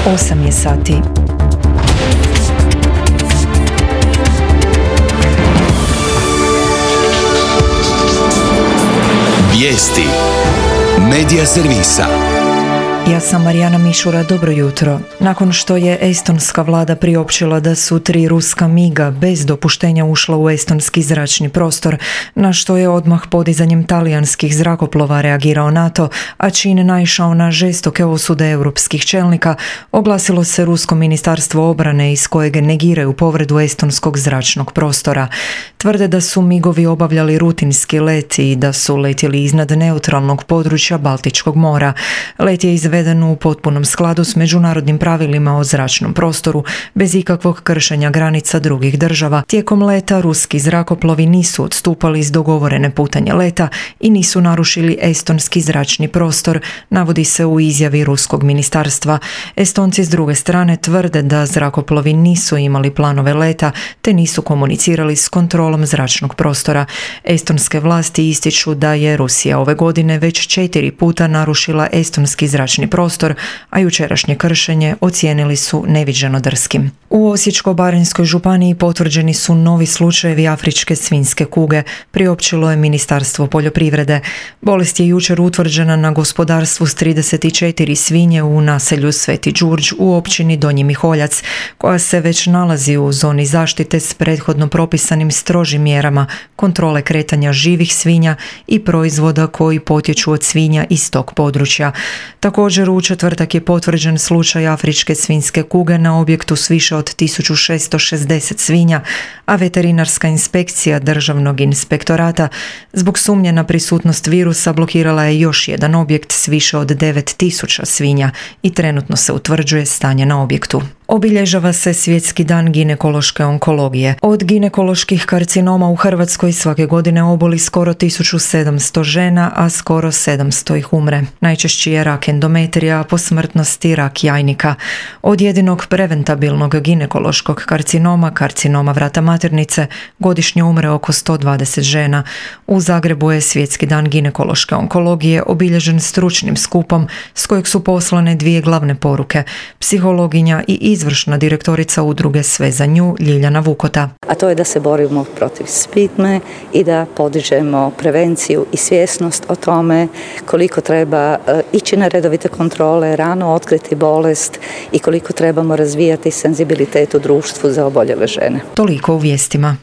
8 je sati. Vijesti Medija servisa. Ja sam Marijana Mišura, dobro jutro. Nakon što je estonska vlada priopćila da su 3 ruska miga bez dopuštenja ušla u estonski zračni prostor, na što je odmah podizanjem talijanskih zrakoplova reagirao NATO, a čin naišao na žestoke osude europskih čelnika, oglasilo se Rusko ministarstvo obrane iz kojeg negiraju povredu estonskog zračnog prostora. Tvrde da su migovi obavljali rutinski let i da su letjeli iznad neutralnog područja Baltičkog mora. Let je izveden u potpunom skladu s međunarodnim pravilima o zračnom prostoru, bez ikakvog kršenja granica drugih država. Tijekom leta ruski zrakoplovi nisu odstupali iz dogovorene putanje leta i nisu narušili estonski zračni prostor, navodi se u izjavi ruskog ministarstva. Estonci s druge strane tvrde da zrakoplovi nisu imali planove leta te nisu komunicirali s kontrolom zračnog prostora. Estonske vlasti ističu da je Rusija ove godine već 4 puta narušila estonski zračni prostor, a jučerašnje kršenje ocijenili su neviđeno drskim. U Osječko-baranjskoj županiji potvrđeni su novi slučajevi afričke svinjske kuge, priopćilo je Ministarstvo poljoprivrede. Bolest je jučer utvrđena na gospodarstvu s 34 svinje u naselju Sveti Đurđ u općini Donji Miholjac, koja se već nalazi u zoni zaštite s prethodno propisanim strožim mjerama kontrole kretanja živih svinja i proizvoda koji potječu od svinja iz tog područja. Također u četvrtak je potvrđen slučaj afričke svinjske kuge na objektu s više od 1660 svinja, a veterinarska inspekcija Državnog inspektorata zbog sumnje na prisutnost virusa blokirala je još jedan objekt s više od 9000 svinja i trenutno se utvrđuje stanje na objektu. Obilježava se Svjetski dan ginekološke onkologije. Od ginekoloških karcinoma u Hrvatskoj svake godine oboli skoro 1700 žena, a skoro 700 ih umre. Najčešći je rak endometrija, a po smrtnosti rak jajnika. Od jedinog preventabilnog ginekološkog karcinoma, karcinoma vrata maternice, godišnje umre oko 120 žena. U Zagrebu je Svjetski dan ginekološke onkologije obilježen stručnim skupom s kojeg su poslane 2 glavne poruke. Psihologinja i izvršna direktorica udruge Sve za nju, Ljiljana Vukota. A to je da se borimo protiv stigme i da podižemo prevenciju i svjesnost o tome koliko treba ići na redovite kontrole, rano otkriti bolest i koliko trebamo razvijati senzibilitet u društvu za oboljele žene. Toliko u vijestima.